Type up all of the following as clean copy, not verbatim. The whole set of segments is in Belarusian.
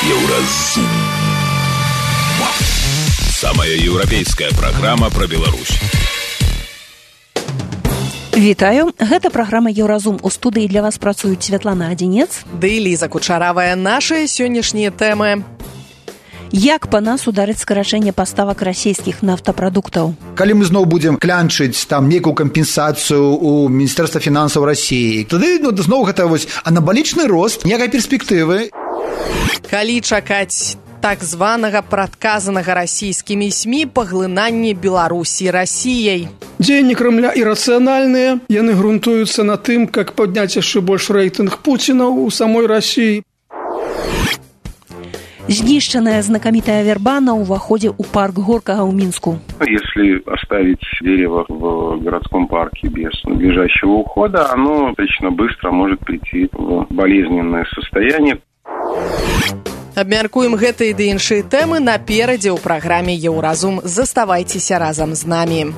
Еўразум. Самая еўрапейская праграма пра Беларусь. Вітаю, гэта праграма Еўразум. У студыі для вас працуюць Святлана Адзінец ды Ліза Кучаравая. Нашыя сённяшнія тэмы. Як па нас ударыць скарачэнне паставак расійскіх нафтапрадуктаў? Калі мы зноў будзем клянчыць там нейкую кампенсацыю у Міністэрства фінансаў Расіі, тады зноў гэта анабалічны рост, ніякай перспектывы. Калі чакаць так званага прадказанага расійскімі СМІ паглынанне Беларусі Расіяй? Дзеянні Крамля ірацыянальныя, яны грунтуюцца на тым, как падняць яшчэ больш рэйтынг Пуціна ў самой Расіі. Знішчаная знакамітая верба на ўваходе ў парк Горкага ў Мінску. Если оставить дерево в городском парке без надлежащего ухода, оно достаточно быстро может прийти в болезненное состояние. Абмяркуем гэтыя ды іншыя тэмы наперадзе ў праграме Еўразум. Заставайцеся разам з намі.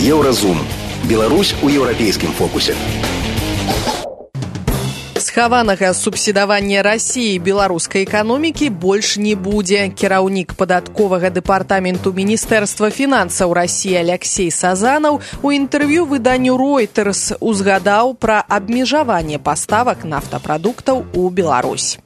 Еўразум. Беларусь у еўрапейскім фокусе. Схаванага субсідавання Расіі беларускай эканомікі больш не будзе. Кіраўнік падатковага дэпартаменту Міністэрства фінансаў Расіі Алексей Сазанаў у інтэрв'ю выданню Reuters узгадаў пра абмежаванне паставак нафтапрадуктаў у Беларусь.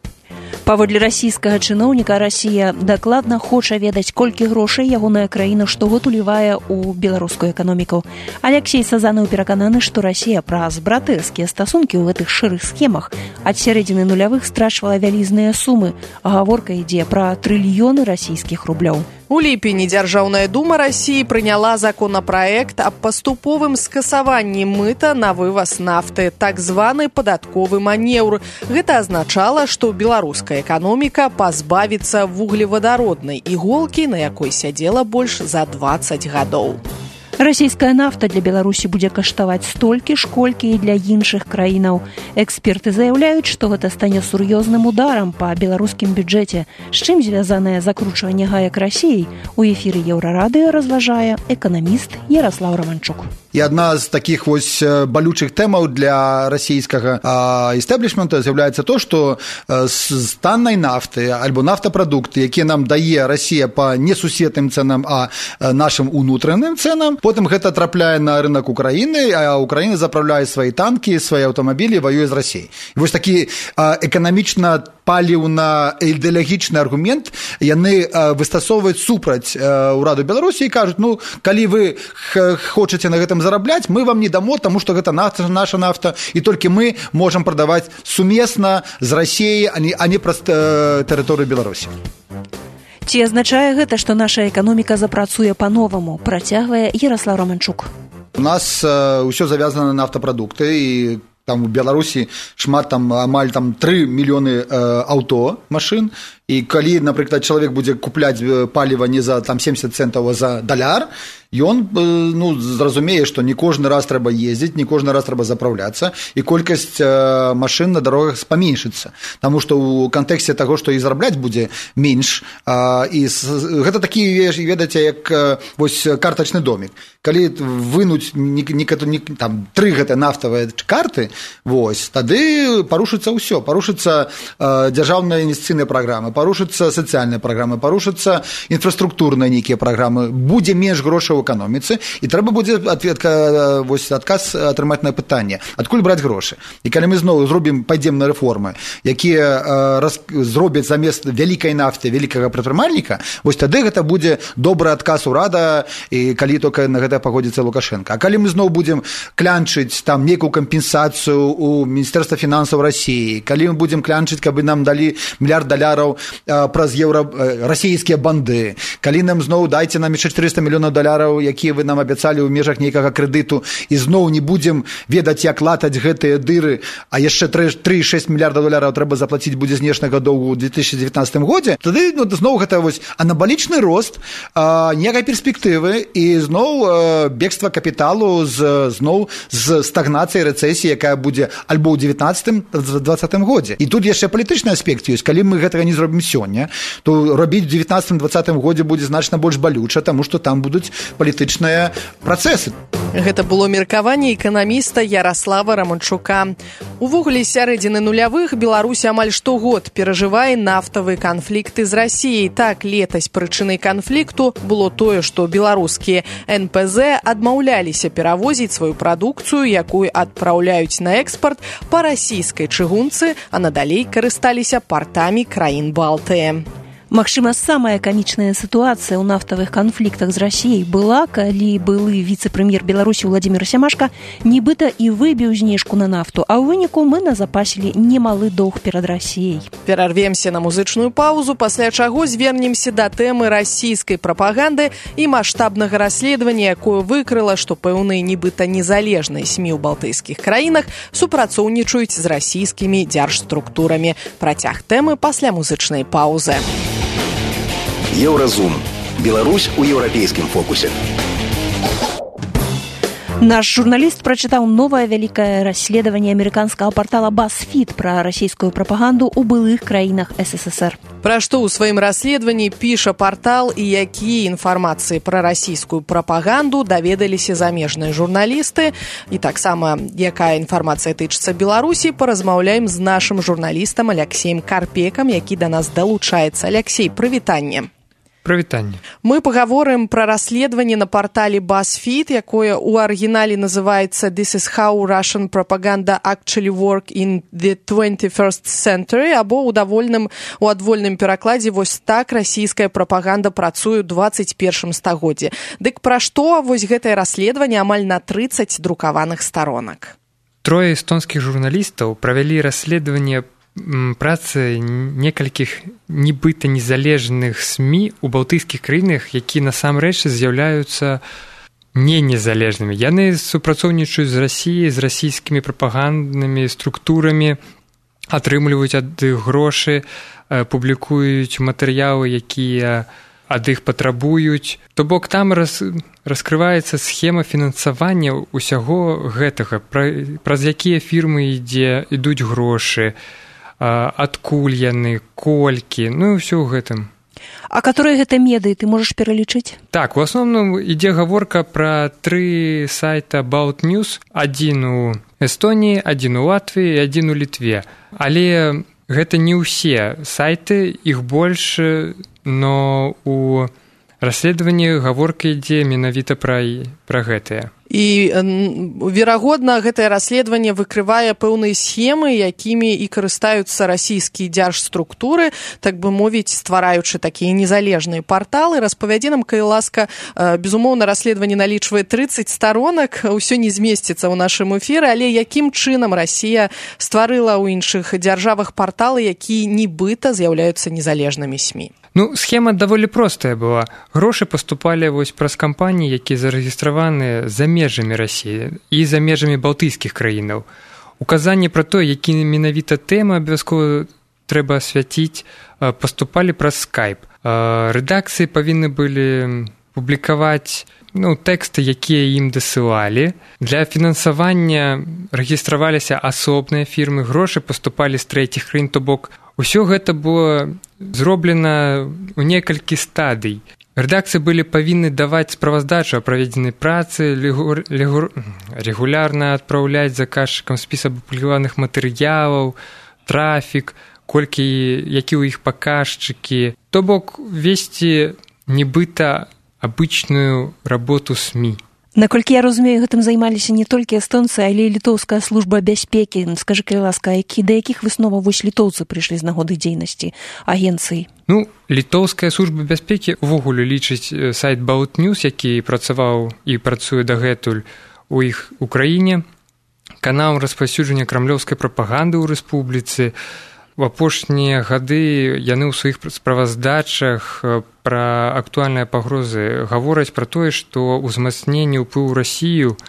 Паводле расійскага чыноўніка, Расія дакладна хоча ведаць, колькі грошай ягоная краіна штогод улівае ў беларускую эканоміку. Алексей Сазанаў перакананы, што Расія праз братэрскія стасункі ў гэтых шэрых схемах ад сярэдзіны нулявых страчвала вялізныя сумы, а гаворка ідзе пра трыльёны расійскіх рублёў. У ліпені Дзяржаўная дума Расіі прыняла законапраект аб паступовым скасаванні мыта на вываз нафты, так званы падатковы манеўр. Гэта азначала, што беларуская эканоміка пазбавіцца вуглевадароднай іголкі, на якой сядзела больш за 20 гадоў. Расійская нафта для Беларусі будзе каштаваць столькі ж, колькі і для іншых краінаў. Эксперты заяўляюць, што гэта стане сур'ёзным ударам па беларускім бюджэце. З чым звязанае закручванне гаек Расіі? У эфіры Еўрарадыё разважае эканаміст Яраслаў Романчук. І адна з такіх балючых тэмаў для расійскага істэблішмента з'яўляецца то, што з таннай нафты альбо нафтапрадукты, якія нам дае Расія па несусветным цэнам, а нашым унутраным цэнам, потым гэта трапляе на рынок Украіны, а Украіна запраўляе свае танкі, свае аўтамабілі, ваюе з Расіяй. І вось такі эканамічна паліўна-ідэалагічны аргумент яны выстасоўваюць супраць ураду Беларусі і кажуць, калі вы хочаце на гэтым зарабляць, мы вам не дамо, таму што гэта наша нафта, і толькі мы можам прадаваць сумесна з Расіяй, а не праз тэрыторыю Беларусі. Ці азначае гэта, што наша эканоміка запрацуе па-новаму, працягвае Яраслаў Романчук. У нас ўсё завязана на нафтапрадукты, і там у Беларусі шмат, амаль 3 мільёны аўто, машын, і калі, напрыклад, чалавек будзе купляць паліва не за 70 цэнтаў, а за даляр, ён зразумее, што не кожны раз трэба ездзіць, не кожны раз трэба запраўляцца, і колькасць машын на дарогах паменшыцца. Таму што ў кантэксце таго, што і зарабляць будзе менш, і гэта такі, ведаеце, як картачны домик. Калі вынуць 3 гэтыя нафтавыя карты, тады парушыцца ўсё. Парушыцца дзяржаўная інвестыцыйная праграма, парушыцца сацыяльная праграма, парушыцца інфраструктурныя нейкія праграмы, будзе менш грошай у эканоміцы, і трэба будзе адказ атрымаць на пытанне, адкуль браць грошы. І калі мы зноў пайдзем на рэформы, якія зробяць замест вялікай нафты вялікага прадпрымальніка, тады гэта будзе добры адказ урада, і калі толькі на гэта пагодзіцца Лукашенко. А калі мы зноў будзем клянчыць там нейкую кампенсацыю у Міністэрства фінансаў Расіі, калі мы будзем клянчыць, каб нам далі $1 мільярд праз расійскія банды, калі нам зноў дайце нам яшчэ $400 мільёнаў, якія вы нам абяцалі ў межах нейкага крэдыту, і зноў не будзем ведаць, як латаць гэтыя дыры, а яшчэ $3,6 мільярда трэба заплаціць будзе знешняга доўгу ў 2019 годзе, тады зноў гэта анабалічны рост, ніякай перспектывы, і зноў бегства капіталу зноў з стагнацыяй, рэцэсіі, якая будзе альбо ў 19-20 годзе. І тут яшчэ палітычны аспект ёсць. Калі мы гэтага не робім сёння, то рабіць у 19-20 годзе будзе значна больш балюча, таму што там будуць палітычныя працэсы. Гэта было меркаванне эканаміста Ярослава Романчука. Увогуле, сярэдзіны нулявых Беларусь амаль штогод перажывае нафтавыя канфлікты з Расіяй. Так, летась прычынай канфлікту было тое, што беларускія НПЗ адмаўляліся перавозіць сваю прадукцыю, якую адпраўляюць на экспарт па расійскай чыгунцы, а надалей карысталіся партамі краін Балтыі. Магчыма, самая камічная сітуацыя ў нафтавых канфліктах з Расіяй была, калі былы віцэ-прэм'ер Беларусі Владзімір Сямашка нібыта і выбіў знижку на нафту, а ў выніку мы назапасілі немалы доўг перад Расіяй. Перарвемся на музычную паузу, пасля чаго звернемся да тэмы расійскай прапаганды і маштабнага расследавання, якое выкрыла, што пэўныя нібыта незалежныя СМІ ў балтыйскіх краінах супрацоўнічаюць з расійскімі дзяржструктурамі. Працяг тэмы пасля музычнай паўзы. Еўразум. Беларусь у еўрапейскім фокусе. Наш журналіст прачытаў новае вялікае расследаванне амерыканскага партала BuzzFeed пра расійскую прапаганду ў былых краінах СССР. Пра што ў сваім расследаванні піша партал і якія інфармацыі пра расійскую прапаганду даведаліся замежныя журналісты, і таксама якая інфармацыя тычыцца Беларусі, паразмаўляем з нашым журналістам Аляксеем Карпекам, які да нас далучаецца. Аляксей, прывітанне. Прывітанне. Мы паговорым пра расследаванне на партале BuzzFeed, якое ў арыгінале называецца «This is how Russian propaganda actually work in the 21st century», або у адвольным перакладзе «Вось так расійская прапаганда працуе ў 21 стагоддзі». Дык пра што вось гэтае расследаванне амаль на 30 друкаваных старонак? Трое эстонскіх журналістаў правялі расследаванне працы некалькіх нібыта незалежных СМІ у балтыйскіх краінах, якія насамрэч з'яўляюцца не незалежнымі. Яны супрацоўнічаюць з Расіяй, з расійскімі прапаганднымі структурамі, атрымліваюць ад іх грошы, публікуюць матэрыялы, якія ад іх патрабуюць. То бок там раскрываецца схема фінансавання ўсяго гэтага, праз якія фірмы ідуць грошы, адкуль яны, колькі, ну і ўсё ў гэтым. А которые гэта медыі, ты можаш пералічыць? Так, у асноўным ідзе гаворка пра 3 сайта About News, адзін у Эстоніі, адзін у Латвіі і адзін у Літве. Але гэта не ўсе сайты, іх больш, но у расследаванні гаворка ідзе менавіта пра гэтыя. І, верагодна, гэтае расследаванне выкрывае пэўныя схемы, якімі і карыстаюцца расійскія дзяржструктуры, так бы мовіць, ствараючы такія незалежныя парталы. Распавядзі нам, калі ласка, безумоўна, расследаванне налічвае 30 старонак, усё не змесціцца ў нашым эфіры, але якім чынам Расія стварыла ў іншых дзяржавах парталы, якія нібыта з'яўляюцца незалежнымі СМІ? Ну, схема даволі простая была. Грошы паступалі вось праз кампаніі, якія зарэгістраваны за межамі Расіі і за межамі балтыйскіх краінаў. Указанні пра то, які менавіта тэмы абавязкова трэба асвяціць, паступалі праз Skype. Рэдакцыі павінны былі публікаваць тэксты, якія ім дасылалі. Для фінансавання рэгістраваліся асобныя фірмы, грошы паступалі з трэціх краін, то бок усё гэта было зроблена ў некалькі стадый. Рэдакцыі былі павінны даваць справаздачу о праведзенай працы, рэгулярна адпраўляць заказчыкам спіс апублікаваных матэрыялаў, трафік, які ў іх паказчыкі. То бок весці нібыта абычную работу СМІ. Наколькі я разумею, гэтым займаліся не толькі эстонцы, але і літоўская служба бяспекі. Скажы, калі ласка, да якіх высноваў вось літоўцы прыйшлі з нагоды дзейнасці агенцыі? Літоўская служба бяспекі ўвогуле лічыць сайт About News, які працаваў і працуе дагэтуль у іх у краіне, канал распаўсюджання крамлёўскай прапаганды ў рэспубліцы. У апошнія гады яны ў сваіх справаздачах пра актуальныя пагрозы гавораць пра тое, што ўзмацненне ўплыву Расію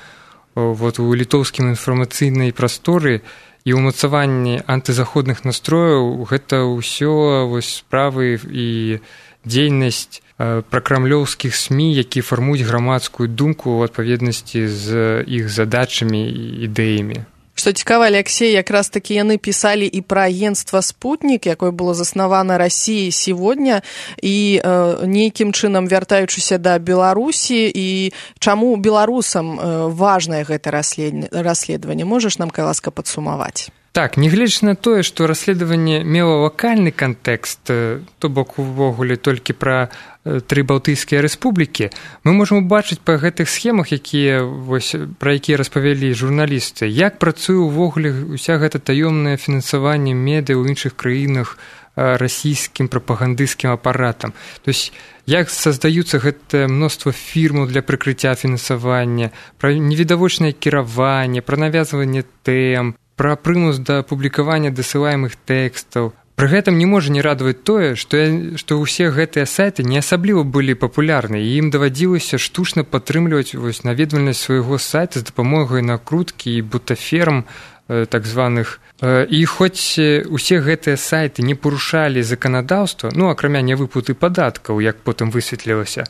у літоўскім інфармацыйнай прасторы і ўмацаванне антызаходных настрояў гэта ўсё справы і дзейнасць пракрамлёўскіх СМІ, які фармуюць грамадскую думку ў адпаведнасці з іх задачамі і ідэямі. Што цікава, Алексей, якраз такі яны пісалі і пра агенцтва «Спутнік», якое было заснавана Расіяй сегодня, і нейкім чынам вяртаючыся да Беларусі, і чаму беларусам важнае гэта расследаванне? Можаш нам, калі ласка, падсумаваць? Так, нягледзячы на тое, што расследаванне мела лакальны кантэкст, то бок увогуле толькі пра 3 балтыйскія рэспублікі, мы можам убачыць па гэтых схемах, пра якія распавялі журналісты, як працуе ўвогуле ўся гэта таёмнае фінансаванне медыа ў іншых краінах расійскім прапагандысцкім апаратам. То есть, як создаюцца гэтае мноства фірмаў для прыкрыцця фінансавання, пра невідавочнае кіраванне, пра навязванне тэм, пра прымус да публікавання дасылаемых тэкстаў. Пры гэтым не можа не радаваць тое, што ўсе гэтыя сайты не асабліва былі папулярны, і ім давадзілася штучна падтрымліваць наведвальнасць свайго сайта з дапамогай накруткі і бутаферм так званых. І хоць усе гэтыя сайты не парушалі заканадаўства, акрамя нявыплаты падаткаў, як потым высветлілася,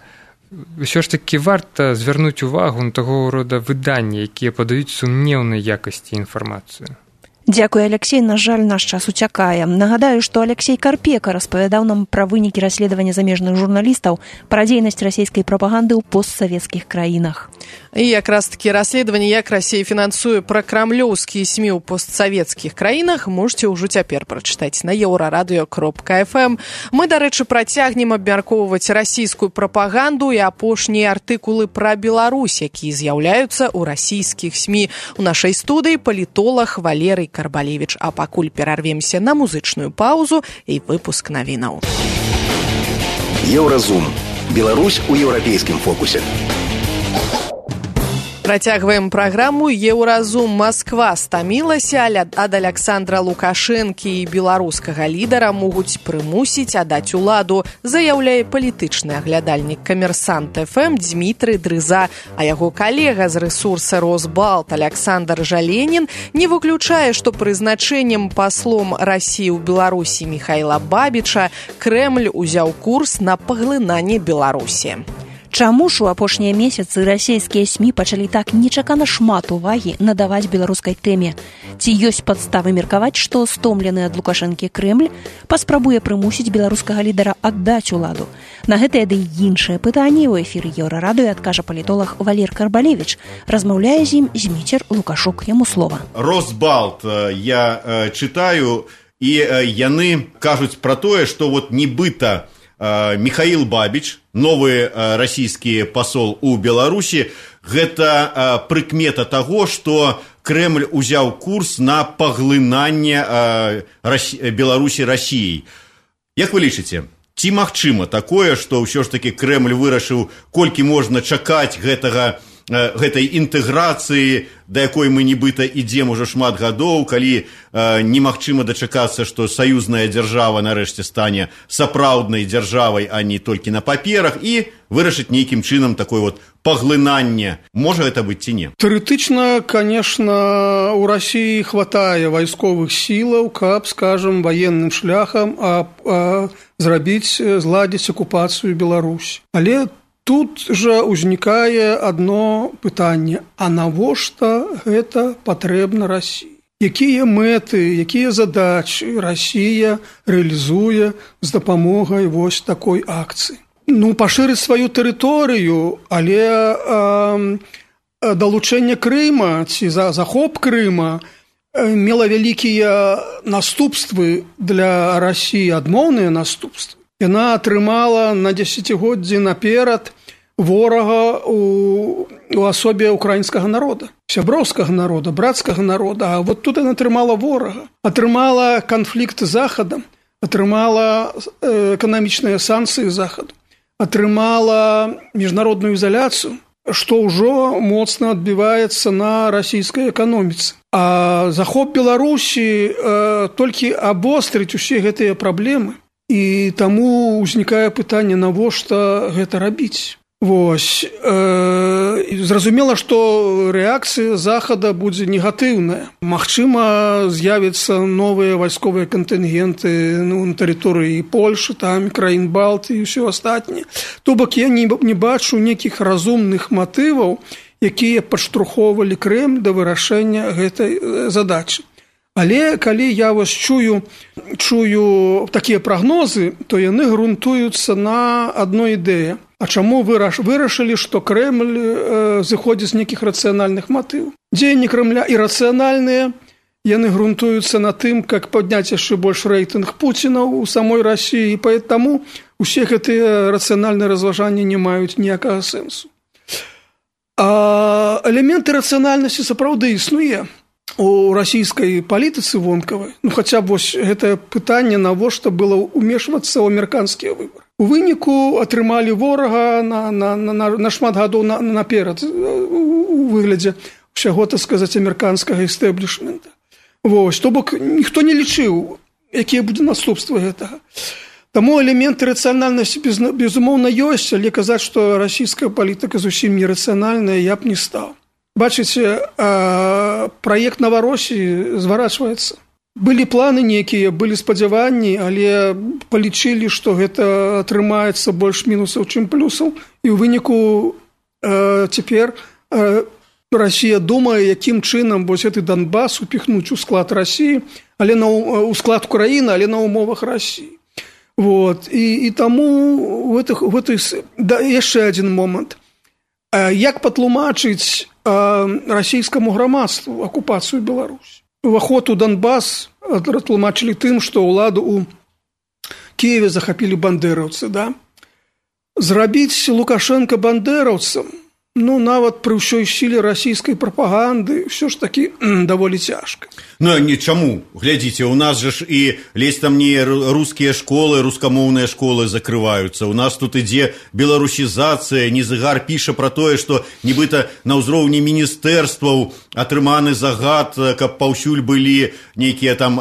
ўсё ж такі варта звярнуць увагу на таго рода выданні, якія падаюць сумнеўнай якасці інфармацыю. Дзякуй, Алексей. На жаль, наш час уцякае. Нагадаю, што Алексей Карпека распавядаў нам пра вынікі расследавання замежных журналістаў пра дзейнасць расійскай прапаганды ў постсавецкіх краінах. І якраз такі расследаванне, як Расія фінансуе пракрамлёўскія СМІ ў постсавецкіх краінах, можете ўжо цяпер прачытаць на еўрарадыё.фм. Мы, дарэчы, працягнем абмяркоўваць расійскую прапаганду і апошнія артыкулы пра Беларусь, якія з'яўляюцца ў расійскіх СМІ. У нашай студыі палітолаг Валерый Карбалевіч. А пакуль перарвемся на музычную паузу і выпуск навінаў. Еўразум. Беларусь у еўрапейскім фокусе. Працягваем праграму «Еўразум». Москва стамілася ад Александра Лукашэнкі і беларускага лідара могуць прымусіць аддаць уладу, заяўляе палітычны аглядальнік «Камерсант ФМ» Дмітрый Дрыза, а яго калега з рэсурса «Росбалт» Александр Жаленін не выключае, што прызначэннем паслом Расіі ў Беларусі Михайла Бабіча Крэмль узяў курс на паглынанне Беларусі. Чаму ж у апошнія месяцы расійскія СМІ пачалі так нечакана шмат увагі надаваць беларускай тэме? Ці ёсць падставы меркаваць, што стомлены ад Лукашэнкі Крэмль паспрабуе прымусіць беларускага лідара аддаць уладу? На гэтае ды іншае пытанне ў эфіры Еўрарадыё адкажа палітолог Валер Карбалевіч. Размаўляе з ім Зміцер Лукашук. Яму слова. Росбалт я чытаю, і яны кажуць пра тое, што нібыта Михаил Бабич, новый российский посол у Беларусі, гэта прыкмета таго, што Крэмль узяў курс на паглынанне Беларусі Расіяй. Як вы лічыце, ці магчыма такое, што ўсё ж такі Крэмль вырашыў, колькі можна чакаць гэтай інтэграцыі, да якой мы нібыта ідзем ужо шмат гадоў, калі немагчыма дачакацца, што саюзная дзяржава нарэшце стане сапраўднай дзяржавай, а не толькі на паперах, і вырашыць нейкім чынам такое паглынанне. Можа гэта быць ці не? Тэарэтычна, конечно, у Расіі хватае вайсковых сілаў, каб, скажем, ваенным шляхам зладзіць акупацыю Беларусі. Але тут жа ўзнікае адно пытанне: а навошта гэта патрэбна Расіі? Якія мэты, якія задачы Расія рэалізуе з дапамогай такой акцыі? Пашырыць сваю тэрыторыю, але далучэнне Крыма ці захоп Крыма мела вялікія наступствы для Расіі, адмоўныя наступствы. Яна атрымала на дзесяцігоддзі наперад ворага у асобе украінскага народа, сяброўскага народа, брацкага народа. А тут яна атрымала ворага, атрымала канфлікт з Захадам, атрымала эканамічныя санкцыі Захаду, атрымала міжнародную ізаляцыю, што ўжо моцна адбіваецца на расійскай эканоміцы. А захоп Беларусі толькі абострыць усе гэтыя праблемы. І таму ўзнікае пытанне, навошта гэта рабіць. Зразумела, што рэакцыя Захада будзе негатыўная. Магчыма, з'явяцца новыя вайсковыя кантынгенты на тэрыторыі Польшы, там краін Балты і ўсё астатняе. То бок я не бачу нейкіх разумных матываў якія падштурхоўвалі Крэмль да вырашэння гэтай задачы. Але калі я вось чую такія прагнозы, то яны грунтуюцца на адной ідэі. А чаму вырашылі, што Крэмль зыходзіць з нейкіх рацыянальных матываў? Дзеянні Крэмля ірацыянальныя, яны грунтуюцца на тым, как падняць яшчэ больш рэйтынг Пуціна ў самой Расіі, і таму усе гэтыя рацыянальныя разважанні не маюць ніякага сэнсу. А элементы рацыянальнасці сапраўды існуе у расійскай палітыцы вонкавай. Хаця б вось гэтае пытанне, навошта было ўмешвацца ў амерыканскія выбары. У выніку атрымалі ворага на шмат гадоў наперад у выглядзе ўсяго, так сказаць, амерыканскага эстэблішмента. Вось, то бок ніхто не лічыў, якія будзе наступствы гэтага. Таму элементы рацыянальнасці безумоўна ёсць, але казаць, што расійская палітыка зусім нерацыянальная, я б не стаў. Бачыце, праект Наворосіі зварачваецца. Былі планы нейкія, былі спадзяванні, але палічылі, што гэта атрымаецца больш мінусаў, чым плюсаў. І ў выніку цяпер Расія думае, якім чынам вось гэты Донбас упіхнуць у склад Расіі, але у склад Украіны, але на умовах Расіі. Вот. І таму яшчэ адзін момант. Як патлумачыць расійскаму грамадству акупацыю Беларусі? Уваход у Донбас тлумачылі тым, што ўладу ў Кіеве захапілі бандэраўцы, да? Зрабіць Лукашенка бандэраўцам, нават пры ўсёй сіле расійскай прапаганды ўсё ж такі даволі цяжка. Чаму? Глядзіце, у нас же ж і лезь там не рускія школы, рускамоўныя школы закрываюцца. У нас тут ідзе беларусізацыя, Незыгар піша пра тое, што нібыта на ўзроўні міністэрстваў атрыманы загад, каб паўсюль былі нейкія там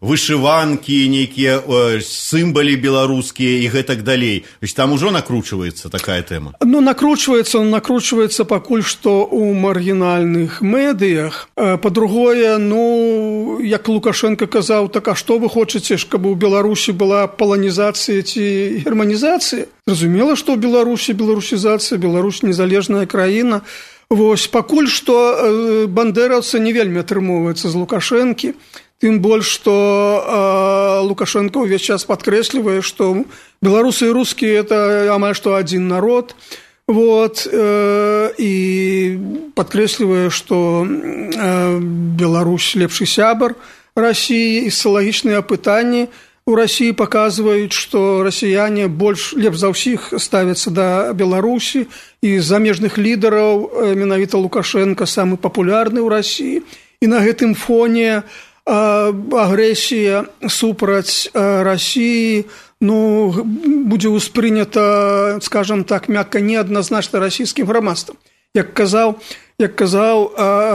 вышыванкі, нейкія сімвалы беларускія і гэтак далей. Там ужо накручваецца такая тэма? Накручваецца пакуль што ў маргінальных медыях. Па-другое, як Лукашенко казаў, так а што вы хочаце, каб у Беларусі была паланізацыя ці германізацыя? Зразумела, што ў Беларусі беларусізацыя, Беларусь незалежная краіна. Вось, пакуль што бандэраўцы не вельмі атрымоўваецца з Лукашэнкі. Тым больш, што Лукашенко ўвесь час падкрэслівае, што беларусы і рускія – это амаль што адзін народ. Вот, і падкрэслівае, што Беларусь лепшы сябар Расіі, і сацыялагічныя апытанні у Расіі паказваюць, што расіяне лепш за ўсіх ставяцца да Беларусі, і замежных лідараў менавіта Лукашенко самы папулярны ў Расіі. І на гэтым фоне агрэсія супраць Расіі будзе ўспрынята, скажам так, мякка неадназначна расійскім грамадствам. Як казаў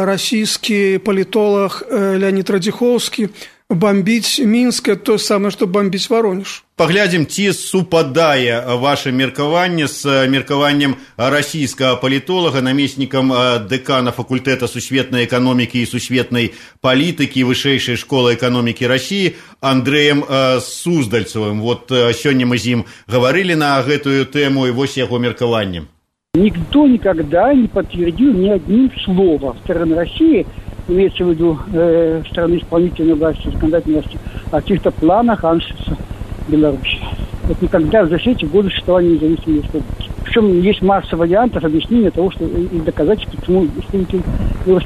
расійскі палітолог Леонід Радзіхоўскі, бомбіць Мінск – то самае, што бомбіць Воронеж. Паглядзім, ці супадае ваше меркаванне з меркаваннем расійскага палітолага, намеснікам дэкана факультэта сусветнай эканомікі і сусветнай палітыкі вышэйшай школы эканомікі Расіі Андрэем Суздальцевым. Вот сёння мы з ім гаварылі на гэтую тэму, і вось яго меркаванне. Никто никогда не подтвердил ни одним словом стороны России, имеется в виду стороны исполнительной власти, законодательной власти, о каких-то планах аншлюса Беларуси. Вот никогда за все эти годы существования независимой республики. Причем есть масса вариантов объяснения того, что и доказательств, почему республике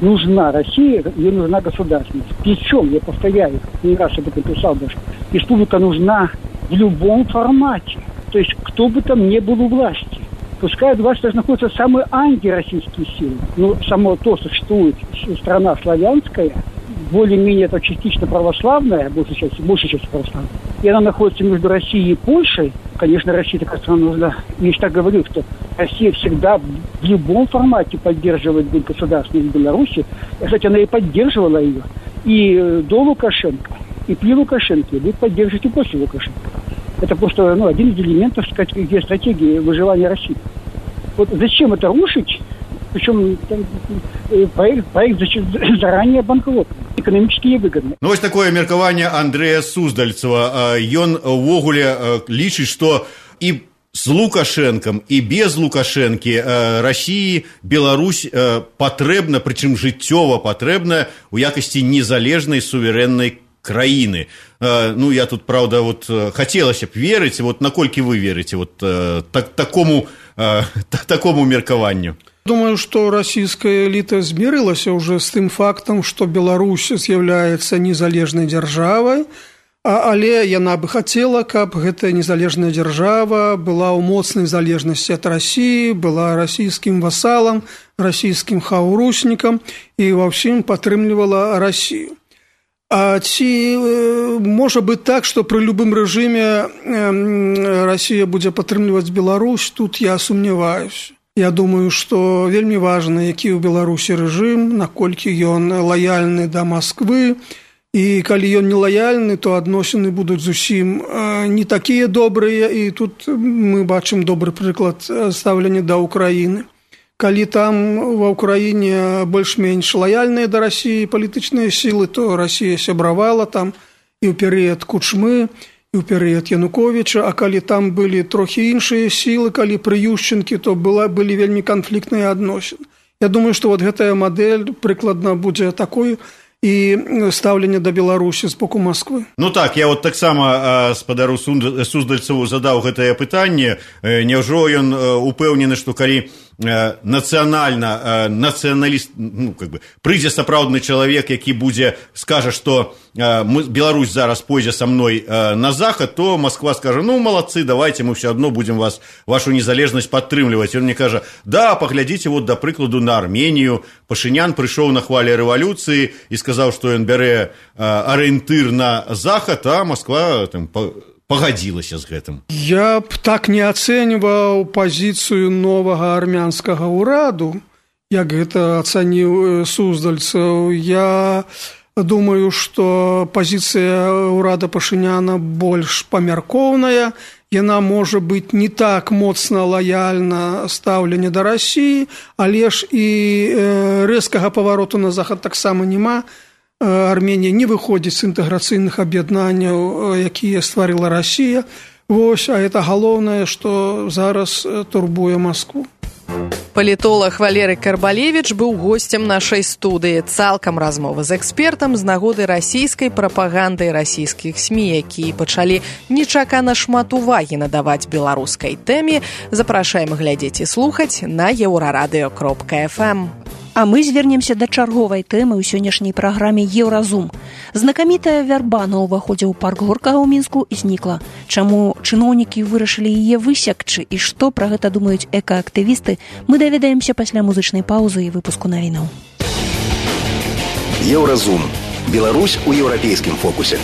нужна Россия, ей нужна государственность. Причем, я повторяю, не раз об этом писал даже, республика нужна в любом формате. То есть, кто бы там ни был у власти. Пускай власть находятся самые антироссийские силы. Но само то, что существует страна славянская, более-менее это частично православная, большей частью православная, и она находится между Россией и Польшей. Конечно, Россия такая страна нужна. Я так говорю, что Россия всегда в любом формате поддерживает государственность Беларуси. Кстати, она и поддерживала ее и до Лукашенко, и при Лукашенко, и будет поддерживать и после Лукашенко. Это просто один из элементов стратегии выживания России. Вот зачем это рушить? Причем проект заранее банкротный, экономически невыгодный. Вось такое меркаванне Андрэя Суздальцева. Ён увогуле лічыць, што і з Лукашэнкам і без Лукашэнкі Расіі Беларусь патрэбна, прычым жыццёва патрэбна ў якасці незалежнай суверэннай краіны. Ну, я тут, правда, вот хацелася б верыць, вот наколькі вы верыце вот такому меркаванню? Думаю, что российская элита смирилась уже с тем фактом, что Беларусь является незалежной державой, але яна бы хотела, каб гэтая незалежная держава была ў моцнай залежнасці ад России, была российским вассалом, российским хаўрусником и во всем падтрымлівала Россию. А ці можа быць так, што пры любым рэжыме Россия будзе падтрымліваць Беларусь, тут я сумняваюсь. Я думаю, што вельмі важна, які ў Беларусі рэжым, наколькі ён лаяльны да Масквы, і калі ён не лаяльны, то адносіны будуць зусім не такія добрыя, і тут мы бачым добры прыклад стаўлення да Украіны. Калі там ва Ўкраіне больш-менш лаяльныя да Расіі палітычныя сілы, то Расія сябравала там і ў перыяд Кучмы, і ў перыяд Януковіча, а калі там былі трохі іншыя сілы, калі пры Ющенкі, то былі вельмі канфліктныя адносіны. Я думаю, што вот гэтая мадэль прыкладна будзе такой і стаўленне да Беларусі з боку Масквы. Ну так, я вот таксама спадару Суздальцеву задаў гэтае пытанне. Няўжо ён упэўнены, што калі нацыяналіст, ну, как бы, прыйдзе сапраўдны чалавек, які скажа, што Беларусь зараз пойдзе са мной на захад, то Москва скажа, ну, малацы, давайте, мы все одно будем вашу незалежнасць падтрымліваць. Он мне кажа, да, паглядзіце, вот, да прыкладу, на Арменію. Пашынян прыйшоў на хвалі рэвалюцыі і сказаў, што ён бярэ арыентыр на захад, а Москва там пагадзілася з гэтым. Я б так не ацэньваў пазіцыю новага армянскага ўраду, як гэта ацаніў Суздальцаў. Я думаю, што пазіцыя ўрада Пашыняна больш памяркоўная, яна можа быць не так моцна лаяльна стаўленне да Расіі, але ж і рэзкага павароту на захад таксама няма. Арменія не выходзіць з інтэграцыйных аб'яднанняў, якія стварыла Расія. Вось, а это галоўнае, што зараз турбуе Маскву. Палітолог Валерый Карбалевіч быў госцем нашай студыі. Цалкам размова з экспертам з нагоды расійскай прапаганды расійскіх СМІ, якія пачалі нечакана шмат увагі надаваць беларускай тэме. Запрашаем глядзець і слухаць на еўрарадыё.фм. А мы звернемся да чарговай тэмы ў сённяшняй праграме «Еўразум». Знакамітая вярба на ўваходзе ў парк Горкага ў Мінску знікла. Чаму чыноўнікі вырашылі яе высекчы і што пра гэта думаюць экаактывісты, мы даведаемся пасля музычнай паўзы і выпуску навінаў. Еўразум. Беларусь у еўрапейскім фокусе.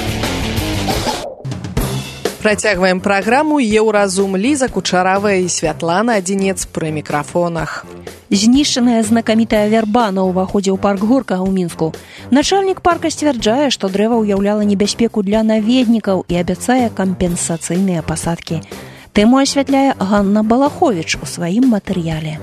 Працягваем праграму «Еўразум». Ліза Кучаравая і Святлана Адзінец пры мікрафонах. Знішчаная знакамітая вярба на ўваходзе ў парк Горкага ў Мінску. Начальнік парка сцвярджае, што дрэва ўяўляла небяспеку для наведнікаў і абяцае кампенсацыйныя пасадкі. Тэму асвятляе Ганна Балаховіч у сваім матэрыяле.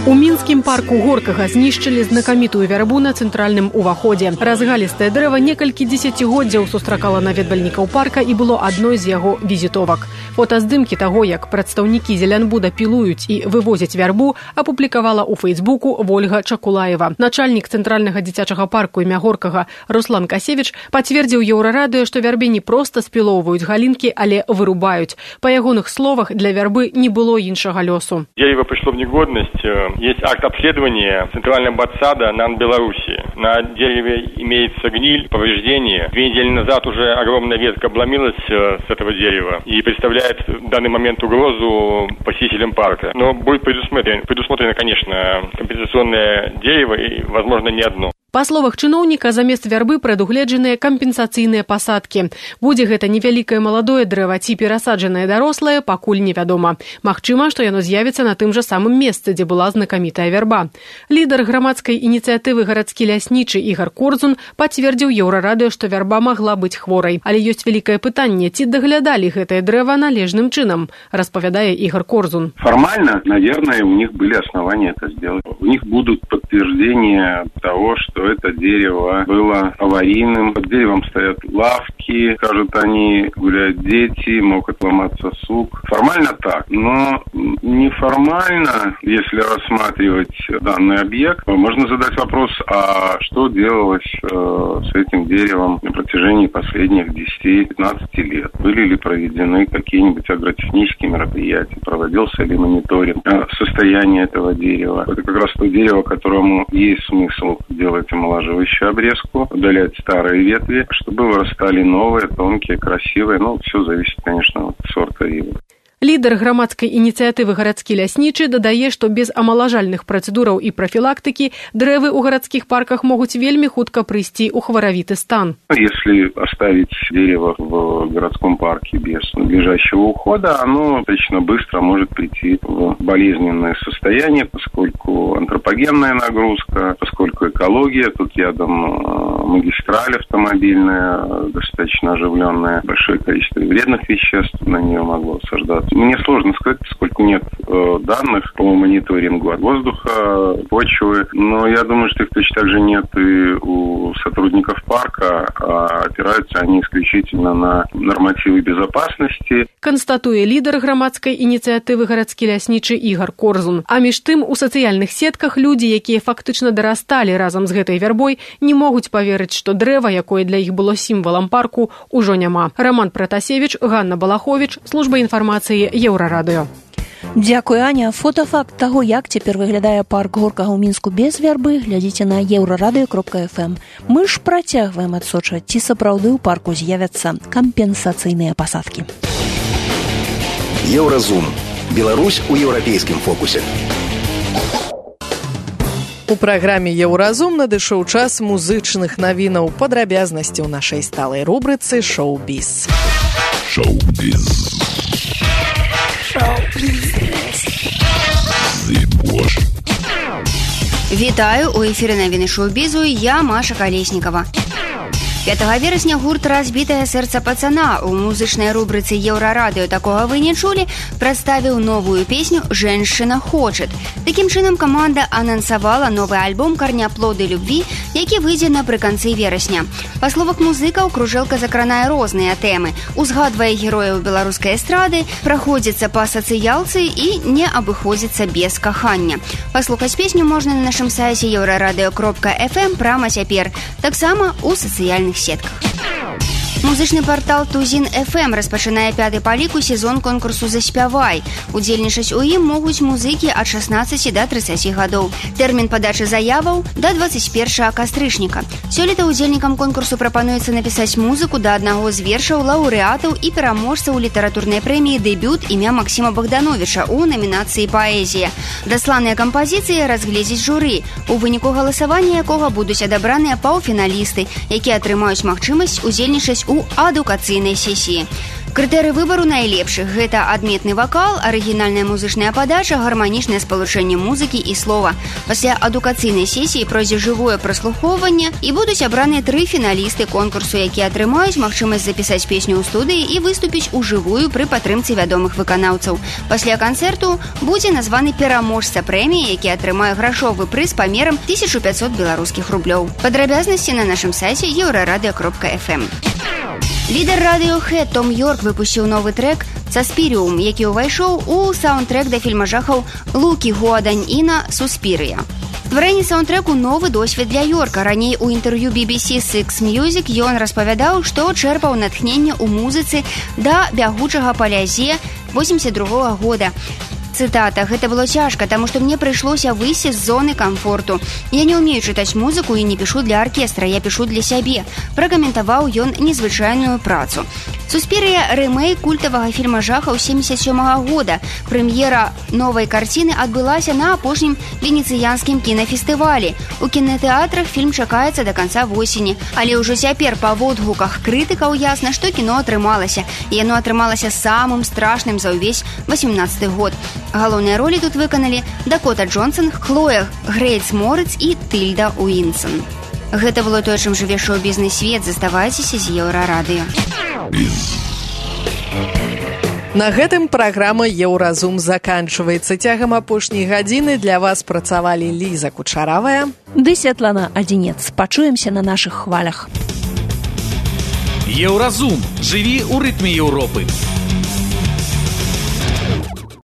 У мінскім парку Горкага знішчылі знакамітую вярбу на цэнтральным уваходзе. Разгалістае дрэва некалькі дзесяцігоддзяў сустракала наведвальнікаў парка і было адной з яго візітовак. Фотаздымкі таго, як прадстаўнікі Зелянбуда пілуюць і вывозяць вярбу, апублікавала ў Фейсбуку Вольга Чакулаева. Начальнік цэнтральнага дзіцячага парку імя Горкага Руслан Касевіч пацвердзіў Еўрарадыё, што вярбе не проста спілоўваюць галінкі, але вырубаюць. Па ягоных словах, для вярбы не было іншага лёсу. Дерево пришло в негодность. Есть акт обследования Центрального ботсада НАН Беларуси. На дереве имеется гниль, повреждение. 2 недели назад уже огромная ветка обломилась с этого дерева и представляет в данный момент угрозу посетителям парка. Но будет предусмотрено, конечно, компенсационное дерево и, возможно, не одно. Па словах чыноўніка, замест вярбы прадугледжаныя кампенсацыйныя пасадкі. Будзе гэта невялікае маладое дрэва ці перасаджанае дарослае, пакуль невядома. Магчыма, што яно з'явіцца на тым жа самым месцы, дзе была знакамітая вярба. Лідар грамадскай ініцыятывы гарадскі ляснічы Ігар Корзун пацвердзіў Еўрарадыё, што вярба магла быць хворай. Але ёсць вялікае пытанне, ці даглядалі гэтае дрэва належным чынам, распавядае Ігар Корзун. Формально, наверное, у них были основания это сделать. У них будут подтверждения того, что что это дерево было аварийным. Под деревом стоят лавки, скажут они, гуляют дети, мог отломаться сук. Формально так, но неформально, если рассматривать данный объект, можно задать вопрос, а что делалось с этим деревом на протяжении последних 10-15 лет? Были ли проведены какие-нибудь агротехнические мероприятия? Проводился ли мониторинг состояния этого дерева? Это как раз то дерево, которому есть смысл делать омолаживающую обрезку, удалять старые ветви, чтобы вырастали новые, тонкие, красивые. Все зависит, конечно, от сорта ивы. Лідар грамадскай ініцыятывы гарадскі ляснічы дадае, што без амалажальных працэдураў і прафілактыкі дрэвы ў гарадскіх парках могуць вельмі хутка прыйсці ў хваравіты стан. Если оставить дерево в городском парке без надлежащего ухода, оно достаточно быстро может прийти в болезненное состояние, поскольку антропогенная нагрузка, поскольку экология, тут рядом магистраль автомобильная, достаточно оживленная, большое количество вредных веществ на нее могло осаждаться. Мне сложно сказать, поскольку нет данных по мониторингу воздуха, почвы, но я думаю, что их точно так же нет и у сотрудников парка, а опираются они исключительно на нормативы безопасности. Канстатуе лідар грамадскай ініцыятывы гарадскі ляснічы Ігар Корзун. А між тым, у сацыяльных сетках людзі, якія фактычна дарасталі разам з гэтай вярбой, не могуць паверыць, што дрэва, якое для іх было сімвалам парку, ужо няма. Роман Пратасевіч, Ганна Балаховіч, служба інфармацыі Еўрарадыё. Дзякуй, Аня. Фотафакт таго, як цяпер выглядае парк Горкага ў Мінску без вярбы, глядзіце на еўрарадыё.фм. Мы ж працягваем адсочваць, ці сапраўды ў парку з'явяцца кампенсацыйныя пасадкі. Еўразум. Беларусь у еўрапейскім фокусе. У праграме «Еўразум» надышоў час музычных навінаў, падрабязнасці ў нашай сталай рубрыцы «Шоу-біз». Шоу-біз. Вітаю, у эфіры навіны шоу-бізу, я Маша Калеснікава. 5 верасня гурт «Разбітае сэрца пацана» у музычнай рубрыцы «Еўрарадыё» такога вы не чулі, прадставіў новую песню «Женщина хочет». Такім чынам каманда анансавала новы альбом «Карняплоды любві», які выйдзе напрыканцы верасня. Па словах музыкаў, кружэлка закранае розныя тэмы, узгадвае герояў беларускай эстрады, праходзіцца па сацыялцы і не абыходзіцца без кахання. Паслухаць песню можна на нашым сайце еўрарадыё.фм прама цяпер, таксама ў сацыяльных сетках. Музычны партал Тузін FM распачынае 5-й па ліку сезон конкурсу «Заспявай». Удзельнічаць у ім могуць музыкі ад 16 да 30 гадоў. Тэрмін падачы заяваў да 21 кастрычніка. Сёлета удзельнікам конкурсу прапануецца напісаць музыку да аднаго з вершаў лаўрэатаў і пераможцаў літаратурнай прэміі «Дэбют» імя Максіма Богдановича ў намінацыі «Паэзія». Дасланыя кампазіцыі разгледзіць журы, у выніку галасавання якога будуць адабраныя паўфіналісты, якія атрымаюць магчымасць удзельнічаць у адукацыйнай сесіі. Крытэрый выбару найлепшых – гэта адметны вакал, арыгінальная музычная падача, гарманічнае спалучэнне музыкі і слова. Пасля адукацыйнай сесіі пройдзе жывое праслухоўванне і будуць абраныя 3 фіналісты конкурсу, якія атрымаюць магчымасць запісаць песню ў студыі і выступіць ужывую пры падтрымцы вядомых выканаўцаў. Пасля канцэрту будзе названы пераможца прэміі, які атрымае грашовы прыз памерам 1500 беларускіх рублёў. Падрабязнасці на нашым сайце еўрарадыё.фм. Лідар Radiohead Том Йорк выпусціў новы трэк «Саспіріум», які ўвайшоў у саундтрэк да фільма жахаў Лукі Гуаданьіна «Суспірыя». Стварэнне саундтрэку новы досвед для Йорка. Раней у інтэрв'ю BBC Six Music ён распавядаў, што чэрпаў натхненне ў музыцы да «Бягучага па лязе» 82 года. Цитата. «Гэта было цяжка, таму што мне прыйшлося выйсці з зоны камфорту. Я не ўмею чытаць музыку і не пішу для аркестра, я пішу для сябе», пракаментаваў ён незвычайную працу. «Суспірыя» – рэмейк культавага фільма жахаў 77 года. Прэм'ера новай карціны адбылася на апошнім венецыянскім кінафестывалі. У кінатэатрах фільм чакаецца да канца восені. Але ўжо цяпер па водгуках крытыкаў ясна, што кіно атрымалася. І яно атрымалася самым страшным за ўвесь 18 год. Галоўныя ролі тут выканалі Дакота Джонсон, Хлоя Грейц Морыц і Тыльда Уінсон. Гэта было тое, чым жыве шоу-бізнес свет. Заставайцеся з Еўрарадыё. На гэтым праграма «Еўразум» заканчваецца. Цягам апошняй гадзіны для вас працавалі Ліза Кучаравая ды Святлана Адзінец. Пачуемся на нашых хвалях. Еўразум. Жыві ў рытме Еўропы.